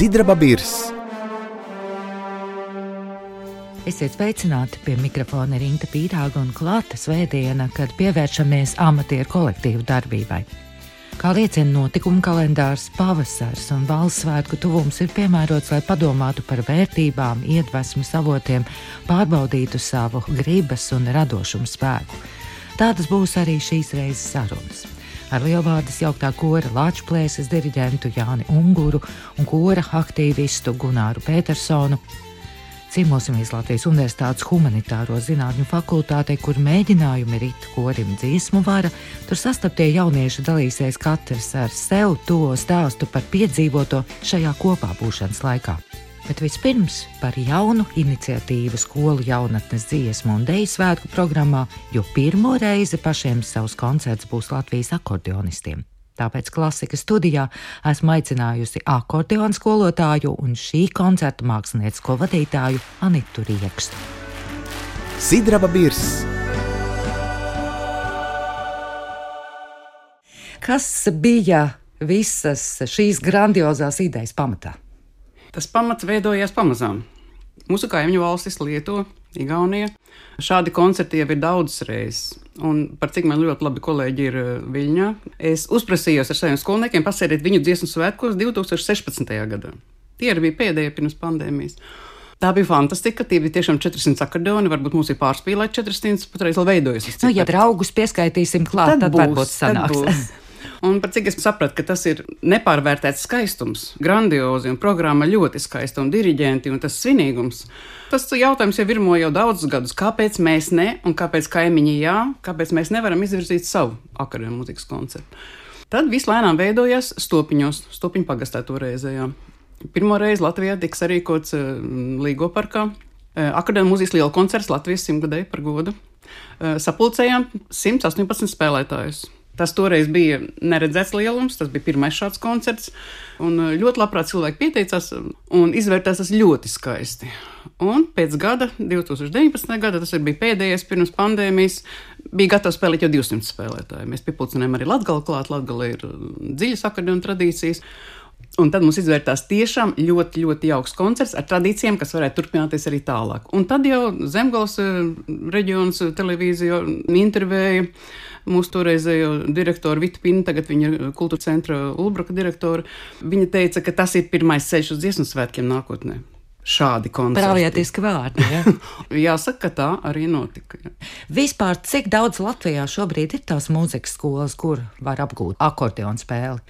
Sidraba Birs. Esiet sveicināti, pie mikrofona ir Inta Pīrāga un klāta svētdiena, kad pievēršamies amatieru kolektīvu darbībai. Kā liecina notikuma kalendārs, pavasars un valsts svētku tuvums ir piemērots, lai padomātu par vērtībām, iedvesmas avotiem, pārbaudītu savu gribas un radošumu spēku. Tādas būs arī šīs reizes sarunas. Ar Lielvārdes jauktā kora Lāču plēses diriģentu Jāni Unguru un kora aktīvistu Gunāru Pētersonu ciemosimies Latvijas Universitātes humanitāro zinātņu fakultātei, kur mēģinājumi rit korim dziesmu vara. Tur sastaptie jaunieši dalīsies katrs ar sev to stāstu par piedzīvoto šajā kopā būšanas laikā. Bet vispirms par jaunu iniciatīvu skolu jaunatnes dziesmu un deju svētku programmā, jo pirmo reizi pašiem savus koncerts būs Latvijas akordeonistiem. Tāpēc Klasikas studijā esmu aicinājusi akordeonu skolotāju un šī koncerta māksliniecisko vadītāju Anitu Riekstu. Sidraba Birs. Kas bija visas šīs grandiozās idejas pamatā? Tas pamats veidojās pamazām. Mūsu kaimiņu valstis Lietuva, Igaunija. Šādi koncerti jau ir daudzas reizes. Un par cik man ļoti labi kolēģi ir Viļņā, es uzprasījos ar saviem skolniekiem pasēdēt viņu dziesmu svētkos 2016. gadā. Tie arī bija pēdējie pirms pandēmijas. Tā bija fantastika, tie bija tiešām 400 akordeoni, varbūt mums ir pārspīlēt 400, patreiz vēl veidojas. Ja draugus pieskaitīsim klāt, tad varbūt sanāks. Un par cik es sapratu, ka tas ir nepārvērtēts skaistums, grandiozi un programma ļoti skaista un diriģenti un tas svinīgums. Tas jautājums jau virmo jau daudzus gadus, kāpēc mēs ne un kāpēc kaimiņi jā, kāpēc mēs nevaram izvirzīt savu akordeonu mūzikas koncertu. Tad viss lēnām veidojās Stopiņos, Stopiņu pagastā toreizējā. Pirmo reizi Latvijā tiks sarīkots Līgo parkā. Akordeonu mūzikas liela koncerts Latvijas 100-gadēju par godu. Sapulcējām 118 spēlētājus. Tas toreiz bija neredzēts lielums, tas bija pirmais šāds koncerts, un ļoti labprāt cilvēki pieteicās un izvērtās tas ļoti skaisti. Un pēc gada, 2019. gada, tas bija pēdējais pirms pandēmijas, bija gatavs spēlēt jau 200 spēlētāji. Mēs piepulcinājām arī Latgali klāt, Latgali ir dziļas akordeonu tradīcijas. Un tad mums izvērtās tiešām ļoti, ļoti jauks koncerts ar tradīcijām, kas varētu turpināties arī tālāk. Un tad jau Zemgales reģionas televīzija intervēja mūsu toreizējo direktoru Vitu Pinu, tagad viņa ir kultūra centra Ulbruka direktora. Viņa teica, ka tas ir pirmais ceļš uz dziesmu svētkiem nākotnē. Šādi koncerti. Pravietiski vārdi, ja? Jāsaka, ka tā arī notika. Ja. Vispār, cik daudz Latvijā šobrīd ir tās mūzikas skolas, kur var apgūt akordeonu spēli?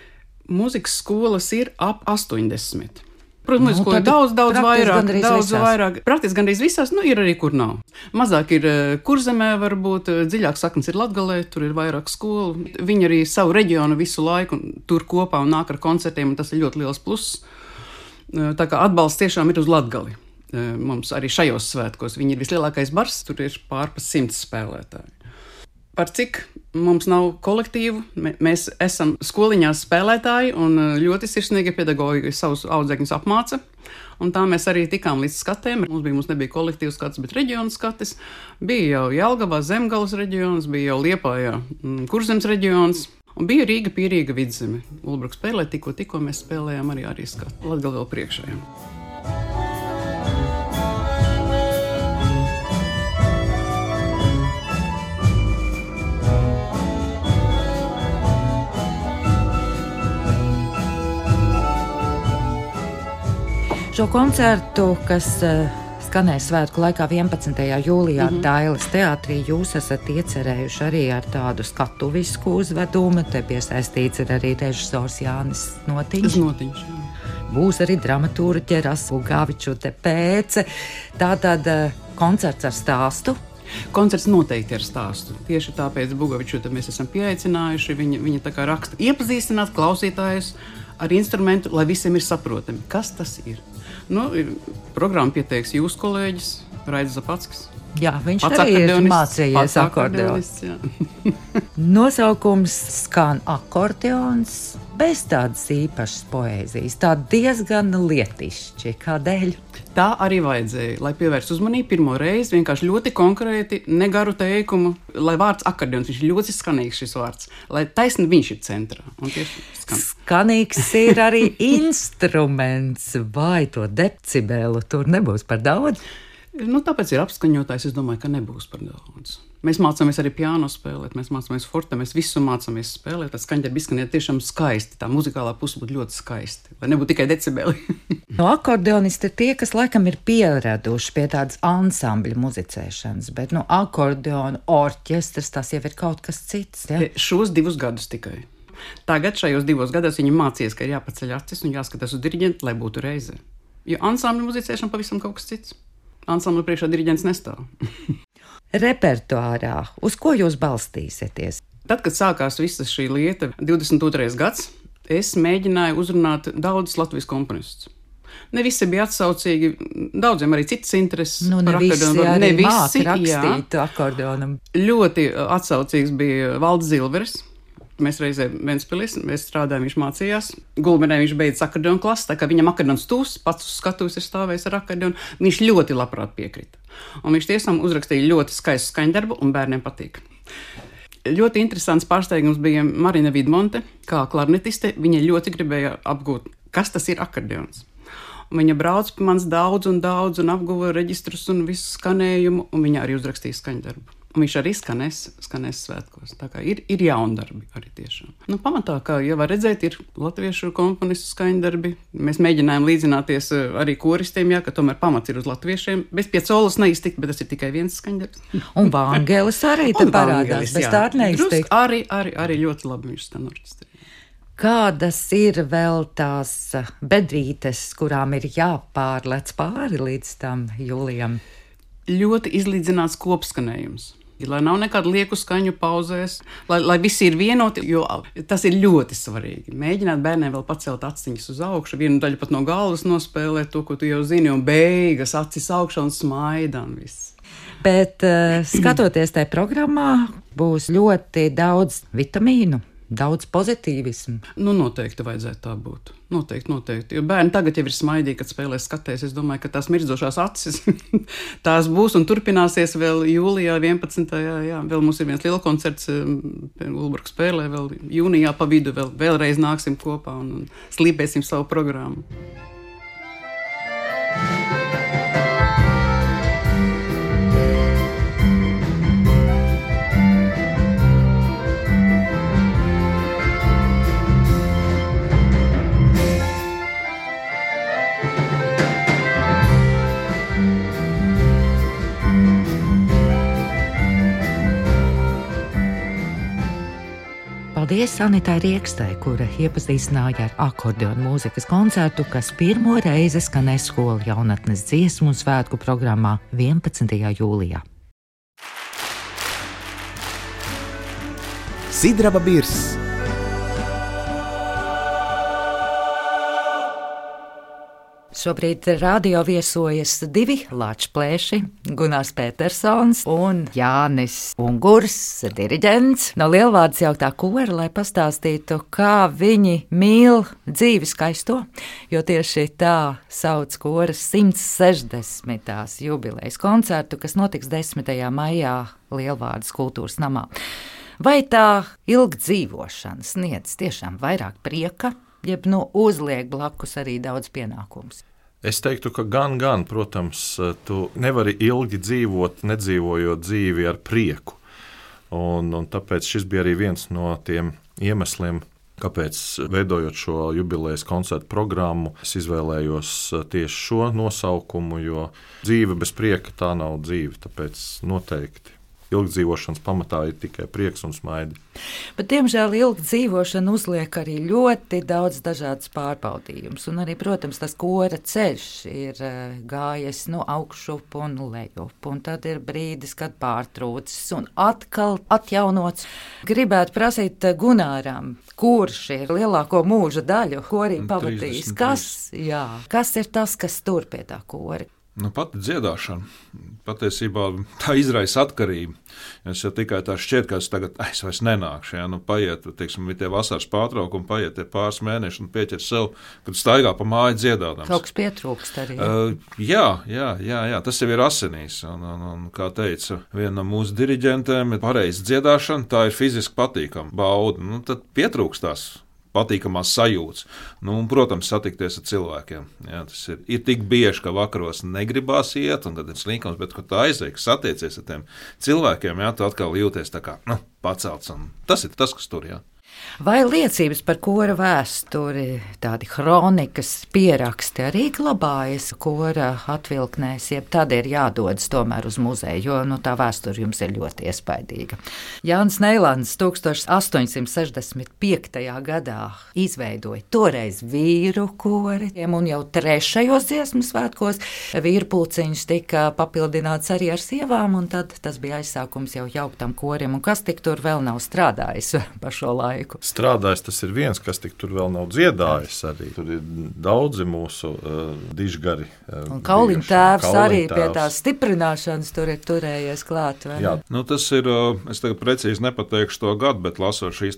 Mūzikas skolas ir ap 80. Protams, ko ir daudz vairāk. Praktiski gandrīz visās, ir arī, kur nav. Mazāk ir Kurzemē, varbūt, dziļāk saknes ir Latgalē, tur ir vairāk skolu. Viņi arī savu reģionu visu laiku tur kopā un nāk ar koncertiem, un tas ir ļoti liels pluss. Tā kā atbalsts tiešām ir uz Latgali. Mums arī šajos svētkos viņi ir vislielākais bars, tur ir pārpa 100 spēlētāji. Par cik mums nav kolektīvu, mēs esam skoliņās spēlētāji un ļoti sirsnīgi pedagoģi savus audzēkņus apmāca. Un tā mēs arī tikām līdz skatēm. Mums nebija kolektīvs skats, bet reģionu skatis. Bija jau Jelgavā, Zemgales reģions, bija jau Liepājā, Kurzemes reģions. Un bija Rīga, Pierīga, Vidzeme. Ulbruka spēlē, tikko mēs spēlējām arī skatu. Latgali vēl priekšējām. Šo koncertu, kas skanēs svētku laikā 11. jūlijā Dailes teātrī, jūs esat iecerējuši arī ar tādu skatuvisku uzvedumu. Te piesaistīts ir arī režisors Jānis Notiņš. Notiņš, jā. Būs arī dramaturģe Rasa Bugavičute Pēce. Tātad koncerts ar stāstu. Koncerts noteikti ar stāstu. Tieši tāpēc Bugavičute mēs esam pieaicinājuši. Viņa tā kā raksta iepazīstināt klausītājus ar instrumentu, lai visiem ir saprotami, kas tas ir. Programmu pieteiks jūsu kolēģis Raidis Zapackis. Jā, viņš arī ir mācījies akordeons. Nosaukums skan akordeons, bez tādas īpašas poēzijas, tā diezgan lietišķi. Kādēļ? Tā arī vajadzēja, lai pievērstu uzmanību pirmo reizi, vienkārši ļoti konkrēti, negaru teikumu, lai vārds akordeons, viņš ir ļoti skanīgs šis vārds, lai taisni viņš ir centrā. Un tieši Skanīgs ir arī instruments, vai to decibelu tur nebūs par daudz? Tāpēc ir apskaņotājs, es domāju, ka nebūs par daudz. Mēs mācāmies arī piano spēlēt, mēs mācāmies forte, mēs visu mācāmies spēlēt, tad skaņdarbi izskaniet tiešām skaisti, tā muzikālā puse būtu ļoti skaisti, lai nebūtu tikai decibeli. No akordeonisti ir tie, kas laikam ir pieraduši pie tādas ansambļa muzicēšanas, bet akordeona orķestrs tas jau ir kaut kas cits. Ja? Šos 2 gadus tikai. Tagad šajos 2 gados viņi mācījies, ka ir jāpaceļ acis un jāskatās uz diriģentu, lai būtu reize. Jo ansambļa muzicēšana pavisam kaut kas cits. Ansambļa priekšā diriģents nestāv. Repertuārā, uz ko jūs balstīsieties? Tad, kad sākās visa šī lieta, 22. gads, es mēģināju uzrunāt daudzus Latvijas komponistus. Ne visi bija atsaucīgi, daudziem arī citas intereses. Ne visi rakstīt akordeonam. Ļoti atsaucīgs bija Valdis Zilveris. Mēs reizē Ventspilī, mēs strādājām, viņš mācījās. Gulbenē viņš beidza akordeonu klasi, tā kā viņam akordeons tūs, pats uz skatuves ir stājis ar akordeonu. Viņš ļoti labprāt piekrita. Un viņš tiešām uzrakstīja ļoti skaistu skaņdarbu, un bērniem patīk. Ļoti interesants pārsteigums bija Marina Vidmonte, kā klarnetiste. Viņa ļoti gribēja apgūt, kas tas ir akordeons. Un viņa brauc pie manis daudz un apguva reģistrus un visu skanējumu, un viņa arī uzrakstīja skaņdarbu. Un viņš arī skanēs svētkos. Tā kā ir jaundarbi arī tiešām. Pamatā, kā jau var redzēt, ir latviešu komponistu skaņdarbi. Mēs mēģinājām līdzināties arī koristiem, ka tomēr pamats ir uz latviešiem. Bez Piecolas neiztikt, bet tas ir tikai viens skaņdarbs. Un Vangelis arī te parādās, bez tā neiztikt. Arī ļoti labi viņš skan orķestrī. Kādas ir vēl tās bedrītes, kurām ir jāpārlec pāri līdz tam jūlijam? Ļoti izlīdzināts kopskanējums. Lai nav nekāda lieku skaņu pauzēs, lai visi ir vienoti, jo tas ir ļoti svarīgi. Mēģināt bērniem vēl pacelt aciņas uz augšu, vienu daļu pat no galvas nospēlēt to, ko tu jau zini, un beigas acis augšā un smaida un viss. Bet skatoties tajā programmā, būs ļoti daudz vitamīnu. Daudz pozitīvismu. Noteikti vajadzētu tā būt. Noteikti. Jo bērni tagad jau ir smaidīgi, kad spēlēs skatēs. Es domāju, ka tās mirdzošās acis tās būs un turpināsies vēl jūlijā 11. Jā. Vēl mums ir viens liels koncerts Ulbraka spēlē, vēl jūnijā pa vidu vēlreiz nāksim kopā un slīpēsim savu programmu. Paldies Anitai Riekstai, kura iepazīstināja ar akordeonu mūzikas koncertu, kas pirmo reizi skanēs skolu jaunatnes dziesmu un svētku programmā 11. jūlijā. Sidraba birs. Šobrīd radio viesojas 2 lāčplēši, Gunārs Petersons un Jānis Ungurs, diriģents no Lielvārdes jauktā kora, lai pastāstītu, kā viņi mīl dzīvi skaisto, jo tieši tā sauc koras 160. jubilejas koncertu, kas notiks 10. maijā Lielvārdes kultūras namā. Vai tā ilgdzīvošana sniedz tiešām vairāk prieka, jeb uzliek blakus arī daudz pienākumus? Es teiktu, ka gan, protams, tu nevari ilgi dzīvot, nedzīvojot dzīvi ar prieku. Un tāpēc šis bija arī viens no tiem iemesliem, kāpēc, veidojot šo jubilejas koncertu programmu, es izvēlējos tieši šo nosaukumu, jo dzīve bez prieka tā nav dzīve, tāpēc noteikti. Ilgdzīvošanas pamatā ir tikai prieks un smaidi. Bet, diemžēl, ilgdzīvošana uzliek arī ļoti daudz dažādas pārbaudījumus. Un arī, protams, tas kora ceļš ir gājis augšup un lejup. Un tad ir brīdis, kad pārtrūcis un atkal atjaunots. Gribētu prasīt Gunāram, kurš ir lielāko mūža daļu korī pavadījis. Kas ir tas, kas tur pie tā kora? Pati dziedāšana. Patiesībā tā izraisa atkarību. Es jau tikai tā šķiet, ka es vairs nenākšu. Ja? Paiet, teiksim, tie vasaras pārtraukumi, paiet tie pāris mēneši un pieķer sev, kad staigā pa māju dziedādams. Kaut kas pietrūkst arī. Jā, tas jau ir asinīs. Un, kā teica viena no mūsu diriģentēm, pareiza dziedāšana, tā ir fiziski patīkama bauda. Tad pietrūkst tās patīkamās sajūtas. Un, protams, satikties ar cilvēkiem. Jā, tas ir tik bieži, ka vakaros negribās iet, un tad ir slinkums, bet, kad tu aizej, satiecies ar tiem cilvēkiem, jā, tu atkal jūties tā kā pacelts. Tas ir tas, kas tur, jā. Vai liecības par kora vēsturi, tādi kronikas pieraksti arī glabājas kora atvilknēs, jeb tad ir jādodas tomēr uz muzeju, jo tā vēsture jums ir ļoti iespaidīga. Jānis Neilands 1865. gadā izveidoja toreiz vīru koriem, un jau 3. dziesmu svētkos vīru pulciņš tika papildināts arī ar sievām, un tad tas bija aizsākums jau jauktam korim, un kas tik tur vēl nav strādājis pa šo laiku? Strādājis tas ir viens, kas tik tur vēl nav dziedājis arī. Tur ir daudzi mūsu dižgari. Un Kauliņa tēvs arī pie tās stiprināšanas tur ir turējies klāt. Jā. Tas ir, es tagad precīzi nepateikšu to gadu, bet lasot šīs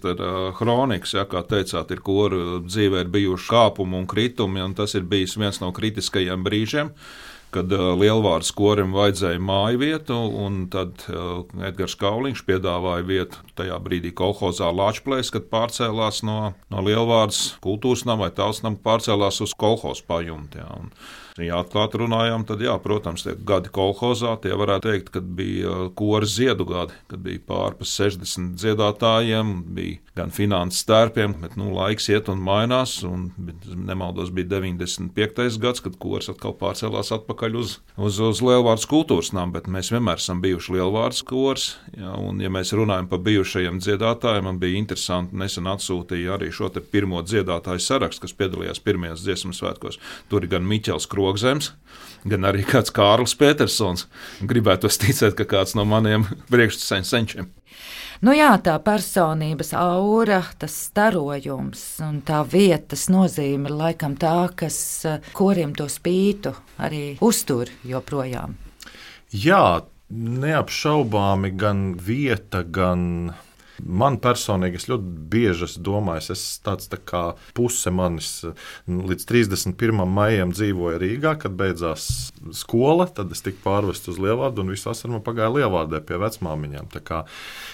kronikas, ja, kā teicāt, ir koru dzīvē ir bijuši kāpumi un kritumi, un tas ir bijis viens no kritiskajiem brīžiem, kad Lielvārdas korim vajadzēja māju vietu, un tad Edgars Kauliņš piedāvāja vietu tajā brīdī kolhozā Lāčplēs, kad pārcēlās no Lielvārdas kultūras nama vai tautas nama, pārcēlās uz kolhozu pajumti. Ja atklāt runājām, tad, jā, protams, tie gadi kolhozā, tie varētu teikt, kad bija kora ziedu gadi, kad bija pārpa 60 dziedātājiem, bija gan finanses stērpiem, bet, laiks iet un mainās, un, nemaldos, bija 95. gads, kad kors atkal pārcēlās atpakaļ uz Lielvārdas kultūras namu, bet mēs vienmēr esam bijuši Lielvārdas kors, jā, un, ja mēs runājam par bijušajiem dziedātājiem, man bija interesanti, nesen atsūtīja arī šo te pirmo dziedātāju sarakstu, kas piedalījās pirmajos dziesmu svētkos. Tur ir gan Miķels Krogzems, gan arī kāds Kārlis Petersons. Gribētu ticēt, ka kāds no maniem priekšsenčiem. Jā, tā personības aura, tas starojums un tā vietas nozīme ir laikam tā, kas koriem to spītu arī uztur joprojām. Jā, neapšaubāmi gan vieta, gan man personīgi, es ļoti bieži domāju, es tāds tā kā puse manis līdz 31. maijam dzīvoja Rīgā, kad beidzās skola, tad es tiku pārvests uz Lielvārdu un visu vasaru man pagāja Lielvārdē pie vecmāmiņām. Tā kā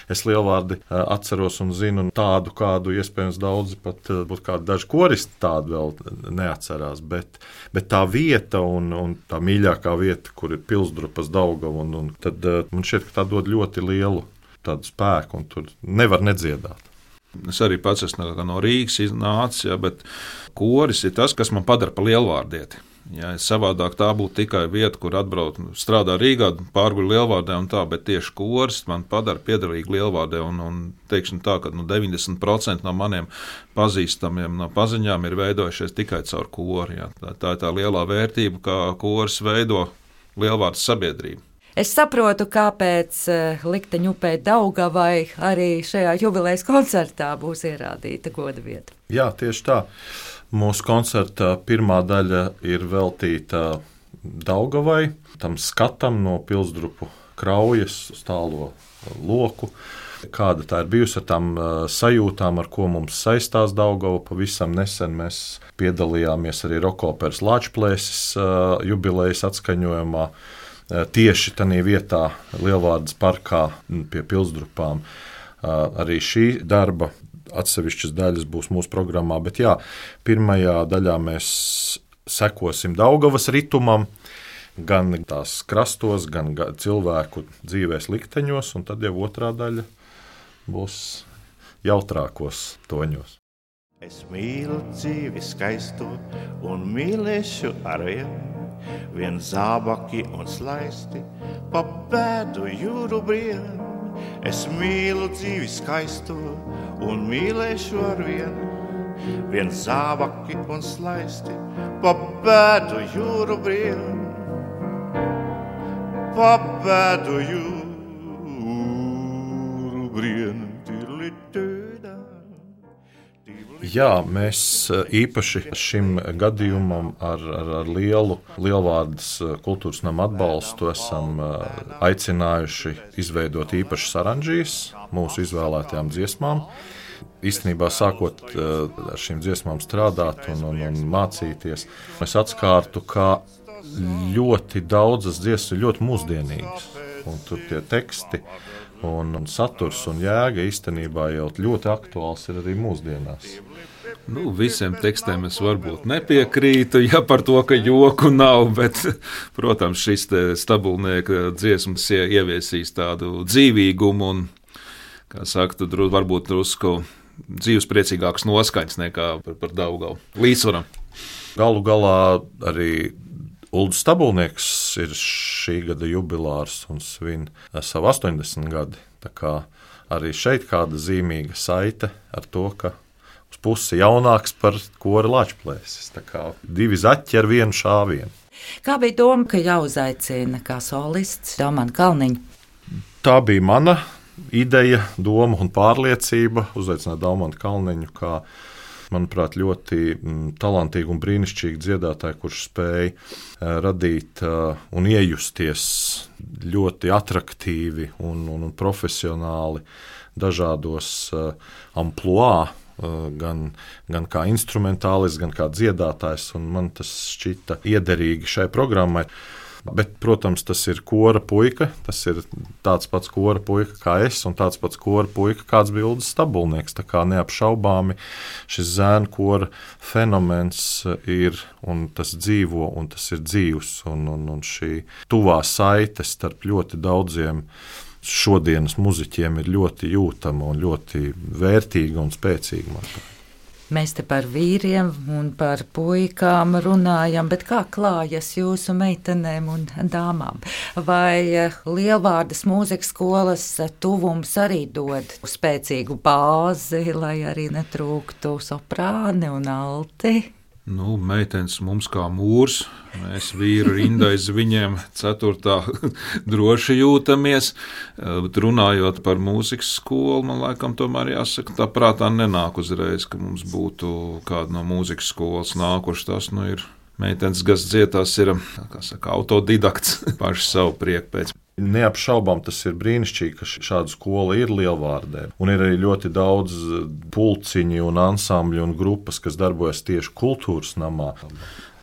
es Lielvārdi atceros un zinu tādu, kādu iespējams daudzi pat būtu kādi daži koristi tādu vēl neatcerās, bet tā vieta un tā mīļākā vieta, kur ir Pilsdrupas Daugava, un tad man šķiet, ka tā dod ļoti lielu tādu spēku, un tur nevar nedziedāt. Es arī pats esmu no Rīgas iznācis, ja, bet koris ir tas, kas man padara par lielvārdieti. Ja, savādāk tā būtu tikai vieta, kur atbraukt, strādā Rīgā, pārguļ Lielvārdē un tā, bet tieši koris man padara piederīgi Lielvārdē, un teiksim tā, ka 90% no maniem pazīstamiem no paziņām ir veidojušies tikai caur kori. Ja. Tā ir tā lielā vērtība, kā koris veido Lielvārdas sabiedrību. Es saprotu, kāpēc likteņu upē Daugavai arī šajā jubilejas koncertā būs ierādīta goda vieta. Jā, tieši tā. Mūsu koncerta pirmā daļa ir veltīta Daugavai, tam skatam no Pilsdrupu kraujas uz tālo loku. Kāda tā ir bijusi ar tām sajūtām, ar ko mums saistās Daugava. Pavisam nesen mēs piedalījāmies arī Rokoperas Lāčplēsis jubilejas atskaņojumā. Tieši tajā vietā, Lielvārdas parkā pie Pilsdrupām. Arī šī darba atsevišķas daļas būs mūsu programmā, bet jā, pirmajā daļā mēs sekosim Daugavas ritumam, gan tās krastos, gan cilvēku dzīvēs likteņos, un tad jau otrā daļa būs jautrākos toņos. Es mīlu dzīvi skaisto un mīlēšu arvien, vien zābaki un slaisti, pa pēdu jūru brien. Es mīlu dzīvi skaisto un mīlēšu arvien, vien zābaki un slaisti, pa pēdu jūru brien. Pa pēdu jūru brien. Jā, mēs īpaši šim gadījumam ar lielu Lielvārdes kultūras nama atbalstu esam aicinājuši izveidot īpašas aranžijas mūsu izvēlētajām dziesmām. Īstenībā sākot ar šīm dziesmām strādāt un mācīties, es atskārtu, ka ļoti daudzas dziesmas ir ļoti mūsdienīgas. Un tur tie teksti un saturs un jēga īstenībā jau ļoti aktuāls ir arī mūsdienās. Visiem tekstiem es varbūt nepiekrītu, ja par to, ka joku nav, bet, protams, šis stabulnieka dziesmas ieviesīs tādu dzīvīgumu un, kā saka, varbūt drusku dzīvespriecīgāks noskaņas nekā par Daugavu līdzsvaram. Galu galā arī Uldis Stabulnieks ir šī gada jubilārs un svin savu 80 gadi. Tā kā arī šeit kāda zīmīga saite ar to, ka uz pusi jaunāks par kora Lāčplēsis. Tā kā divi zaķi ar vienu šāvienu. Kā bija doma, ka jāuzaicina kā solists Daumanta Kalniņa? Tā bija mana ideja, doma un pārliecība uzaicināt Daumantu Kalniņu kā, manuprāt, ļoti talantīgu un brīnišķīgu dziedātāju, kurš spēja radīt un iejusties ļoti atraktīvi un profesionāli dažādos amplua, gan kā instrumentālists, gan kā dziedātājs, un man tas šķita iederīgi šai programmai. Bet, protams, tas ir kora puika, tas ir tāds pats kora puika kā es, un tāds pats kora puika, kāds bija Uldis Stabulnieks. Tā kā neapšaubāmi šis zēnu kora fenomens ir, un tas dzīvo, un tas ir dzīvs, un šī tuvā saite starp ļoti daudziem šodienas muziķiem ir ļoti jūtama un ļoti vērtīga un spēcīga, manuprāt. Mēs te par vīriem un par puikām runājam, bet kā klājas jūsu meitenēm un dāmām? Vai Lielvārdes mūzikas skolas tuvums arī dod spēcīgu bāzi, lai arī netrūktu soprāni un alti? Meitenes mums kā mūrs, mēs vīru rinda aiz viņiem 4. droši jūtamies. Runājot par mūzikas skolu, man laikam tomēr jāsaka, tā prātā nenāk uzreiz, ka mums būtu kāda no mūzikas skolas nākuši. Tas ir meitenes, kas dziedās, ir, kā saka, autodidakts paši savu prieku pēc. Neapšaubām tas ir brīnišķīgi, ka šāda skola ir Lielvārdē. Un ir arī ļoti daudz pulciņu un ansambļu un grupas, kas darbojas tieši kultūras namā.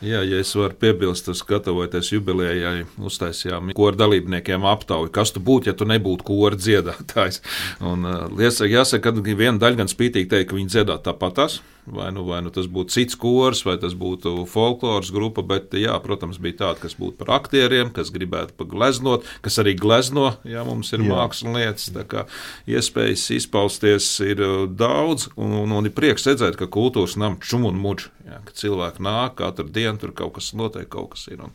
Jā, ja es varu piebilst, gatavoties jubilejai, uztaisījām kora dalībniekiem aptauju, kas tu būtu, ja tu nebūtu kora dziedātājs. Un jāsaka, ka viena daļa gan spītīgi teikt, ka viņi dziedāt tāpatās. Vai nu tas būtu cits kors, vai tas būtu folkloras grupa, bet, jā, protams, bija tāda, kas būtu par aktieriem, kas gribētu pagleznot, kas arī glezno, ja mums ir mākslinieks, tā kā iespējas izpausties ir daudz, un ir prieks redzēt, ka kultūras nam čum un muģ, ka cilvēki nāk, katru dienu tur kaut kas notiek, kaut kas ir.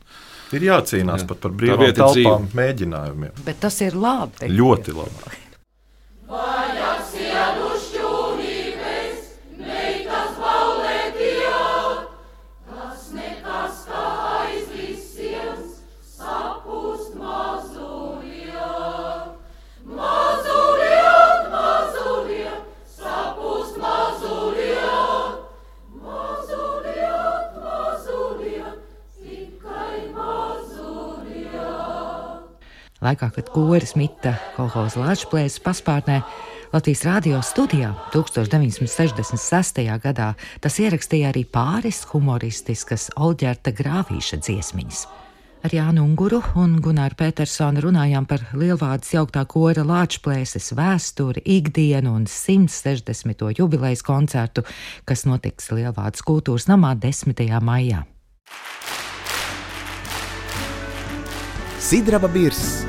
Ir jācīnās pat par brīvām telpām mēģinājumiem. Bet tas ir labi. Ļoti labi. Laikā, kad koris mita kolhoza Lāčplēsis paspārnē, Latvijas radio studijā 1966. gadā tas ierakstīja arī pāris humoristiskas Olģerta Grāvīša dziesmiņas. Ar Jānu Unguru un Gunāru Petersonu runājām par Lielvārdes jauktā kora Lāčplēsis vēsturi, ikdienu un 160. jubilejas koncertu, kas notiks Lielvārdes kultūras namā 10. maijā. Sidraba Birss.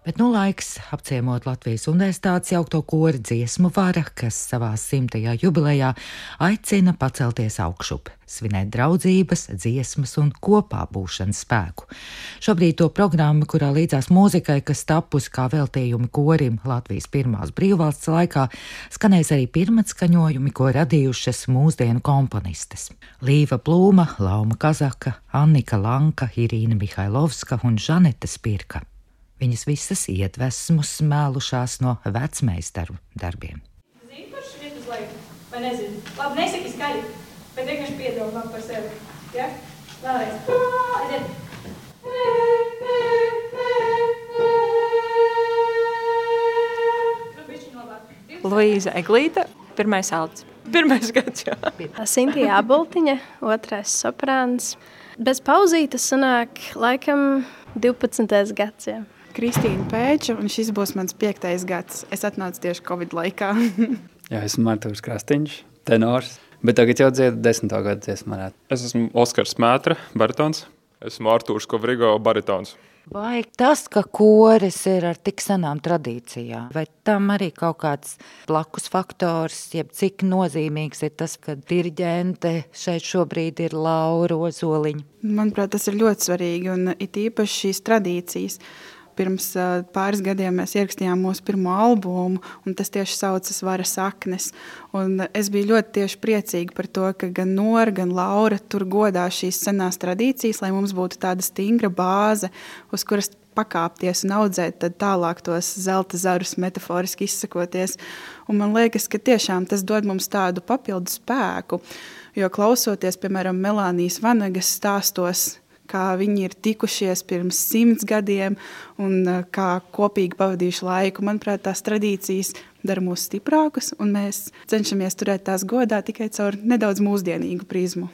Bet laiks apciemot Latvijas Universitātes jaukto kora dziesmu vara, kas savā 100. jubilejā aicina pacelties augšup, svinēt draudzības, dziesmas un kopā būšanas spēku. Šobrīd to programmu, kurā līdzās mūzikai, kas tapusi kā veltījumi korim Latvijas pirmās brīvvalsts laikā, skanēs arī pirmatskaņojumi, ko radījušas mūsdienu komponistes. Līva Plūma, Lauma Kazaka, Annika Lanka, Irīna Mihailovska un Žaneta Spirka. Viņas visas iedvesmu smēlušās no vecmeistaru darbiem. Zini, kurš iet uz leju? Vai nezini? Labi, nesaki skaļi, bet vienkārši piedomā par sevi. Ja? Vēlreiz. Aiziet. Luīza Eglīte, pirmais alts. Pirmais gads, jā. Sintija Abultiņa, otrais soprāns. Bez pauzītes sanāk laikam 12. gads, jā. Kristīna Pēča, un šis būs mans 5. gads. Es atnācu tieši Covid laikā. Jā, esmu Artūrs Krastīņš, tenors, bet tagad jau dziedu 10. gadu dziesmu. Es esmu Oskars Mētra, baritons. Esmu Artūrs Kovrigo, baritons. Vai tas, ka koris ir ar tik senām tradīcijām, vai tam arī kaut kāds blakus faktors, jeb cik nozīmīgs ir tas, ka diriģente šeit šobrīd ir Laura Ozoliņa? Manuprāt, tas ir ļoti svarīgi, un it īpaši šīs tradīcijas. Pirms pāris gadiem mēs ierakstījām mūsu pirmo albumu, un tas tieši saucas Vara saknes. Un es biju ļoti tieši priecīga par to, ka gan Nora, gan Laura tur godā šīs senās tradīcijas, lai mums būtu tāda stingra bāze, uz kuras pakāpties un audzēt tad tālāk tos zelta zarus, metaforiski izsakoties. Un man liekas, ka tiešām tas dod mums tādu papildu spēku, jo klausoties, piemēram, Melānijas Vanagas stāstos, kā viņi ir tikušies pirms 100 gadiem un kā kopīgi pavadījuši laiku. Manuprāt, tās tradīcijas dara mūs stiprākus, un mēs cenšamies turēt tās godā tikai caur nedaudz mūsdienīgu prizmu.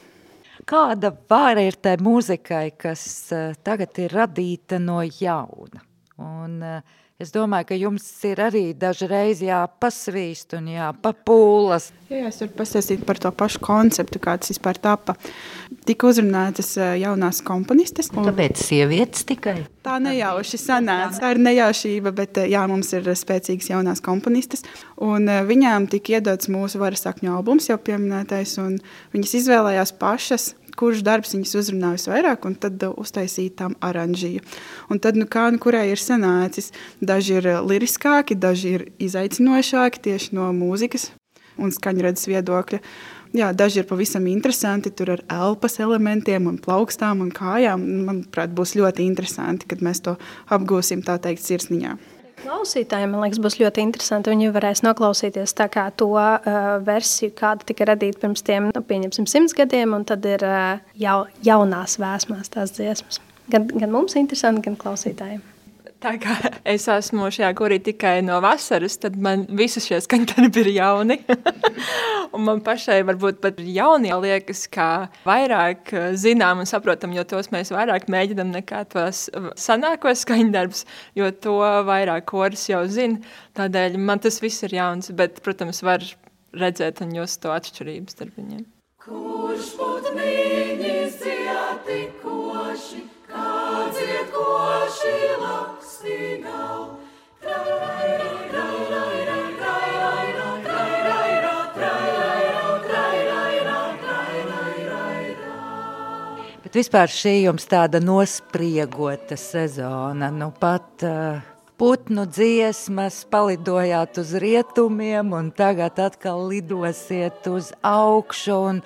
Kāda vara ir tai mūzikai, kas tagad ir radīta no jauna? Un es domāju, ka jums ir arī dažreiz jāpasvīst un jāpapūlas. Jā, es varu pastāstīt par to pašu konceptu, kā tas vispār tapa. Tika uzrunātas jaunās komponistes. Tāpēc sievietes tikai? Tā nejauši sanāca. Tā ir nejaušība, bet mums ir spēcīgas jaunās komponistes. Un viņām tika iedots mūsu Varasakņu albums, jau pieminētais, un viņas izvēlējās pašas, kurš darbs viņas uzrunā visvairāk, un tad uztaisīja tam aranžiju. Un tad, kurai ir sanācis, daži ir liriskāki, daži ir izaicinošāki tieši no mūzikas un skaņredzes viedokļa. Jā, daži ir pavisam interesanti, tur ar elpas elementiem un plaukstām un kājām. Manuprāt, būs ļoti interesanti, kad mēs to apgūsim, tā teikt, sirsniņā. Klausītājiem, man liekas, būs ļoti interesanti. Viņi varēs noklausīties tā kā to versiju, kāda tika radīta pirms tiem, pieņemsim, 100 gadiem, un tad ir jaunās vēsmās tās dziesmas. Gan mums interesanti, gan klausītājiem. Tā kā es esmu šajā korī tikai no vasaras, tad man visi šie skaņdarbi ir jauni. Un man pašai varbūt pat jaunie liekas, kā vairāk zinām un saprotam, jo tos mēs vairāk mēģinam nekā tos sanākos skaņdarbs, jo to vairāk koris jau zina. Tādēļ man tas viss ir jauns, bet, protams, var redzēt un just to atšķirību starp viņiem. Kurš putniņis dziedi koši, kā dzied koši lakstīgau. Bet vispār šī jums tāda nospriegota sezona, pat putnu dziesmas, palidojāt uz rietumiem un tagad atkal lidosiet uz augšu un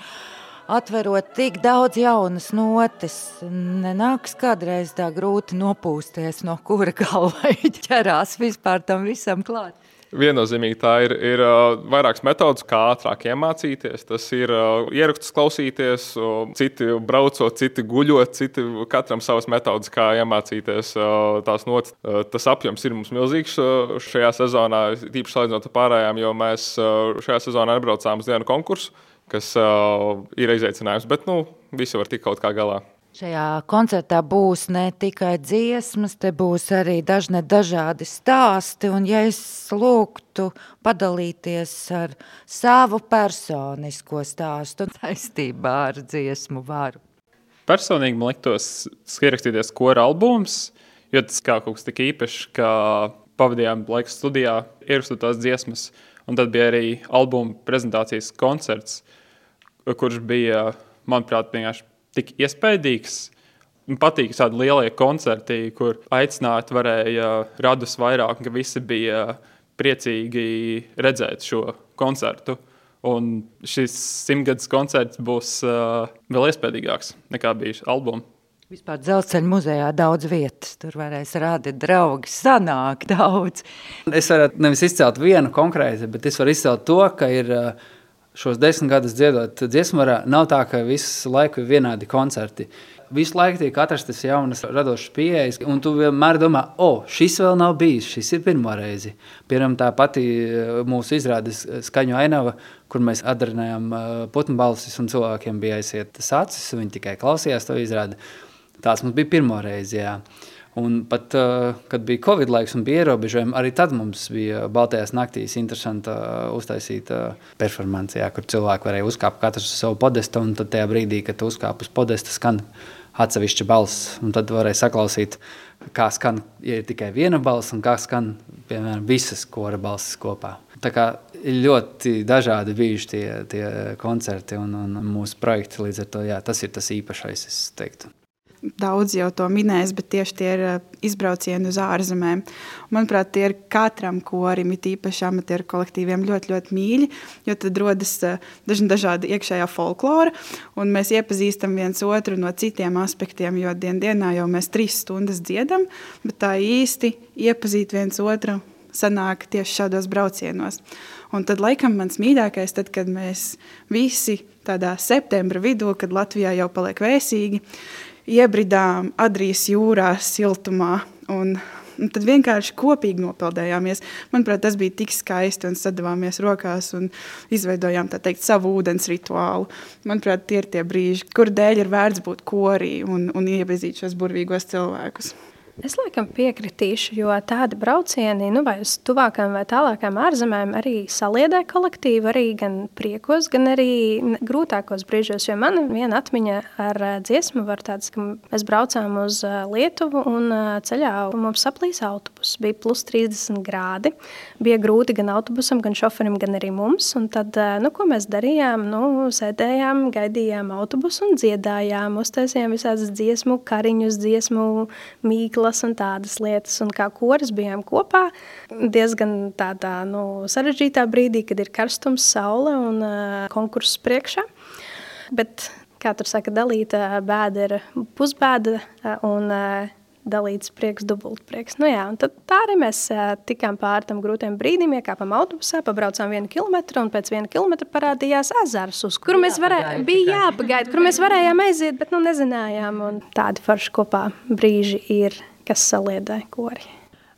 atverot tik daudz jaunas notes. Nenāks kādreiz tā grūti nopūsties, no kura galva ķerās vispār tam visam klāt. Viennozīmīgi tā ir vairākas metodas, kā ātrāk iemācīties. Tas ir ierakstus klausīties, citi braucot, citi guļot, citi katram savas metodas, kā iemācīties tās notas. Tas apjoms ir mums milzīgs šajā sezonā, tīpaši salīdzinot ar pārējām, jo mēs šajā sezonā nebraucām uz vienu konkursu, kas ir izaicinājums, bet visi var tikt kaut kā galā. Šajā koncertā būs ne tikai dziesmas, te būs arī dažādi stāsti, un ja es lūgtu padalīties ar savu personisko stāstu saistībā ar dziesmu varu. Personīgi man liktos ierakstīties kora albums, jo tas kā kaut kas tik īpašs, ka pavadījām laiku studijā, ierakstot tās dziesmas, un tad bija arī albuma prezentācijas koncerts, kurš bija, manuprāt, vienkārši tik iespaidīgs. Patīk tādi lielie koncerti, kur aicināt varēja radus vairāk, ka visi bija priecīgi redzēt šo koncertu. Un šis 100 gadus koncerts būs vēl iespaidīgāks nekā bija albuma. Vispār Dzelzceļa muzejā daudz vietas, tur varēs rādīt draugi, sanāk daudz. Es varētu nevis izcelt vienu konkrēti, bet es varu izcelt to, ka ir šos 10 gadus dziedot dziesmarā, nav tā, ka visu laiku ir vienādi koncerti. Visu laiku tiek atrastas jaunas radošas pieejas, un tu vienmēr domā, šis vēl nav bijis, šis ir pirmo reizi. Piemēram, tā pati mūsu izrādes skaņu ainava, kur mēs atdarinājām putnbalsis, un cilvēkiem bija aizsietas acis, un viņi tikai klausījās to izrādi. Tās mums bija pirmo reizi, jā. Un pat, kad bija Covid laiks un bija ierobežojumi, arī tad mums bija Baltajās naktīs interesanta uztaisīta performance, jā, kur cilvēki varēja uzkāpt katrs uz savu podestu, un tad tajā brīdī, kad tu uzkāp uz podesta, skan atsevišķa balss, un tad varēja saklausīt, kā skan, ja ir tikai viena balss, un kā skan, piemēram, visas kora balsis kopā. Tā kā ļoti dažādi bijuši tie koncerti un mūsu projekti, līdz ar to, jā, tas ir tas īpašais, es teiktu. Daudz jau to minējis, bet tieši tie ir izbraucieni uz ārzemēm. Manuprāt, tie ir katram korim, it īpaši amatieru kolektīviem ļoti, ļoti mīļi, jo tad rodas dažādi iekšējā folklora, un mēs iepazīstam viens otru no citiem aspektiem, jo dienā jau mēs 3 stundas dziedam, bet tā īsti iepazīt viens otru sanāk tieši šādos braucienos. Un tad laikam mans mīļākais, tad, kad mēs visi tādā septembra vidū, kad Latvijā jau paliek vēsīgi, iebridām Adrijas jūrā siltumā un tad vienkārši kopīgi nopeldējāmies. Manuprāt, tas bija tik skaisti un sadavāmies rokās un izveidojām, tā teikt, savu ūdens rituālu. Manuprāt, tie ir tie brīži, kur dēļ ir vērts būt korī un iepazīt šos burvīgos cilvēkus. Es laikam piekritīšu, jo tādi braucieni, vai uz tuvākām vai tālākām ārzemēm arī saliedē kolektīvu, arī gan priekos, gan arī grūtākos brīžos, jo man viena atmiņa ar dziesmu var tāds, ka mēs braucām uz Lietuvu un ceļā mums saplīs autobus. Bija plus 30 grādi, bija grūti gan autobusam, gan šoferim, gan arī mums, un tad, ko mēs darījām? Sēdējām, gaidījām autobusu un dziedājām, uztaisījām visādas dziesmu kariņus, dziesmu mīklas un tādas lietas, un kā koris bijām kopā diezgan tādā sarežģītā brīdī, kad ir karstums, saule un konkurss priekšā. Bet, kā tur saka, dalīta bēda ir pusbēda un dalīts prieks, dubult prieks. Un tad tā arī mēs tikām pāri tam grūtiem brīdim, iekāpam autobusā, pabraucām 1 kilometru, un pēc 1 kilometra parādījās ezers, uz kuru mēs bija jāpagaida, kur mēs varējām aiziet, bet nezinājām, un tādi forši kopā brīži ir, kas saliedē kori.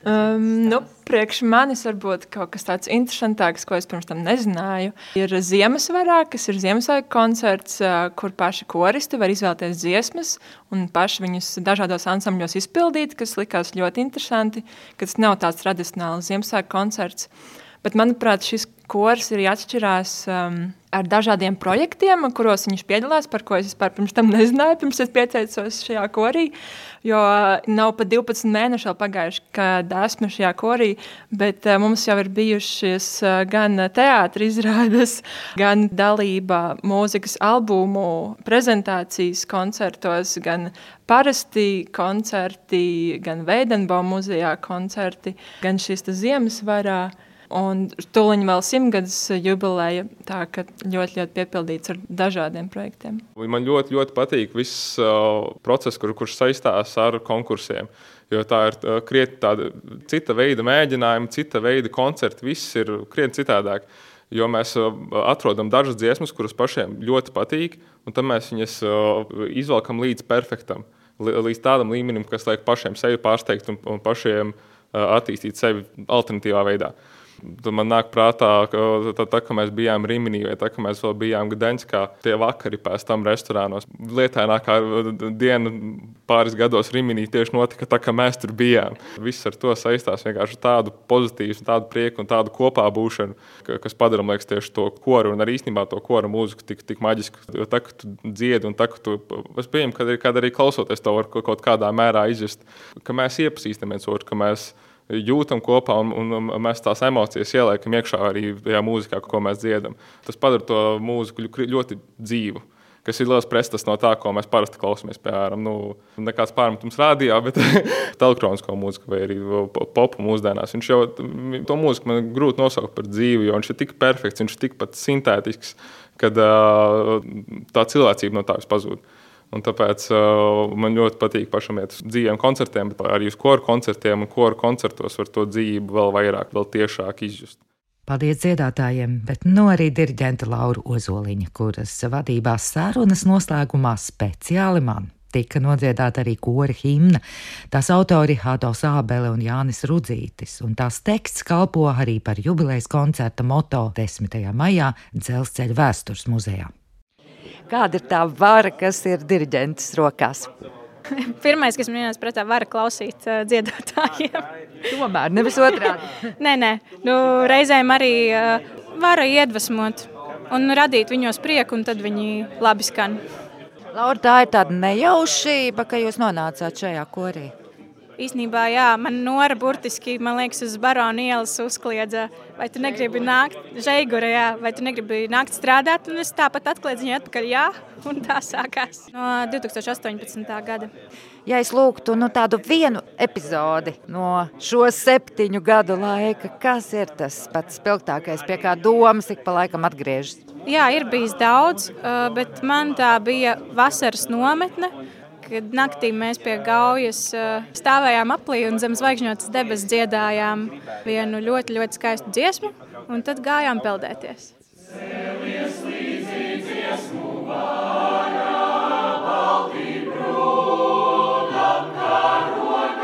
Priekš manis varbūt kaut kas tāds interesantāks, ko es pirms tam nezināju, ir Ziemassvarā, kas ir Ziemassvētku koncerts, kur paši koristi var izvēlēties dziesmas un paši viņus dažādos ansambļos izpildīt, kas likās ļoti interesanti, ka tas nav tāds tradicionāls Ziemassvētku koncerts. Bet, manuprāt, šis kors arī atšķirās ar dažādiem projektiem, kuros viņš piedalās, par ko es vispār pirms tam nezināju, pirms es pieteicos šajā korī, jo nav pat 12 mēneši vēl pagājuši, kad esmu šajā korī, bet mums jau ir bijušies gan teātra izrādes, gan dalība mūzikas albumu prezentācijas koncertos, gan parasti koncerti, gan Veidenbaum muzejā koncerti, gan šis Ziemassvarā. Un tūliņ vēl 100 gadus jubileja, tā ka ļoti piepildīts ar dažādiem projektiem. Man ļoti patīk viss process, kurš saistās ar konkursiem, jo tā ir krietni tāda cita veida mēģinājumi, cita veida koncerti, viss ir krietni citādāk. Jo mēs atrodam dažas dziesmas, kuras pašiem ļoti patīk, un tad mēs viņas izvelkam līdz perfektam, līdz tādam līmenim, kas liek pašiem sevi pārsteigt un pašiem attīstīt sevi alternatīvā veidā. Tad man nāk prātā, ka mēs bijām Riminī vai ka mēs vēl bijām Gdaņskā, tie vakari pēc tam restorānos. Lietainākā diena pāris gados Riminī tieši notika tā, ka mēs tur bijām. Viss ar to saistās vienkārši tādu pozitīvu, tādu prieku un tādu kopā būšanu, kas padara, liekas, tieši to koru un arī īstenībā to kora mūziku tik maģisku. Jo tā, ka tu dziedi un tā, ka tu, es pieņemu, ka arī klausoties to var kaut kādā mērā izjust, ka mēs iepazīstam viens otru, ka mēs jūtam kopā un mēs tās emocijas ieliekam iekšā arī tajā mūzikā, ko mēs dziedam. Tas padara to mūziku ļoti dzīvu, kas ir liels pretestats no tā, ko mēs parasti klausamies, piemēram, nekāds pārmetums rādījā, bet elektronisko mūziku vai arī popu mūsdienās. Viņš jau, to mūziku man grūti nosaukt par dzīvu, jo viņš ir tik perfekts, viņš ir tikpat sintētisks, kad tā cilvēcība no tā viss pazūd. Un tāpēc man ļoti patīk pašam iet uz dzīviem koncertiem, bet arī uz koru koncertiem un koru koncertos var to dzīvi vēl vairāk, vēl tiešāk izjust. Paldies dziedātājiem, bet arī diriģenta Laura Ozoliņa, kuras vadībā sarunas noslēgumā speciāli man tika nodziedāta arī kora himna. Tās autori Adolfs Ābele un Jānis Rudzītis, un tās teksts kalpo arī par jubilejas koncerta moto 10. maijā Dzelzceļa vēstures muzejā. Kāda ir tā vara, kas ir diriģentes rokās? Pirmais, kas man ienāca prātā, vara klausīt dziedātājiem. Tomēr, nevis otrādi. Nē. Reizēm arī vara iedvesmot un radīt viņos prieku, un tad viņi labi skan. Laura, tā ir tāda nejaušība, ka jūs nonācāt šajā korī? Īstenībā, jā, man Nora burtiski, man liekas, uz Barona ielas uzkliedza, vai tu negribi nākt, Žeigura, jā, vai tu negribi nākt strādāt, un es tāpat atkliedzu viņu atpakaļ, jā, un tā sākās no 2018. gada. Ja es lūgtu tādu vienu epizodi no šo 7 gadu laika, kas ir tas pats spilgtākais, pie kā domas ik pa laikam atgriežas? Jā, ir bijis daudz, bet man tā bija vasaras nometne, kad naktī mēs pie Gaujas stāvējām aplī un zem zvaigžņotas debesis dziedājām vienu ļoti, ļoti skaistu dziesmu, un tad gājām peldēties. Cēlies līdzi dziesmu vārā, balti brūnam karogam.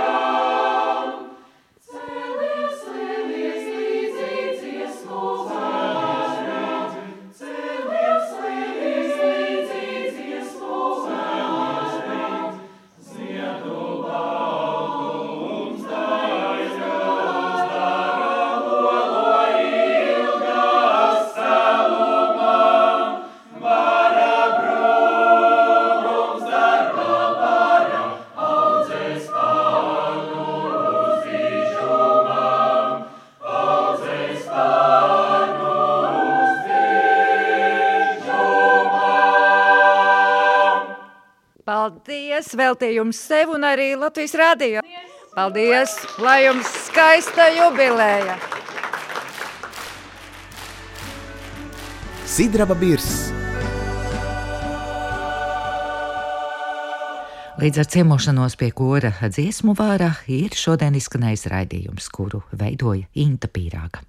Cēlies līdzi dziesmu vārā, cēlies līdzi dziesmu vārā. Ziedu baltums daļas dara lolo ilgas celumam, vara brūnums dara vara, audzēs pārnu uz dižumam, audzēs pārnu uz dižumam. Paldies! Veltījums sev un arī Latvijas radio. Paldies! Lai jums skaista jubileja! Sidraba Birs. Līdz ar ciemošanos pie kora dziesmu vārā ir šodien izskanējis raidījums, kuru veidoja Inta Pīrāga.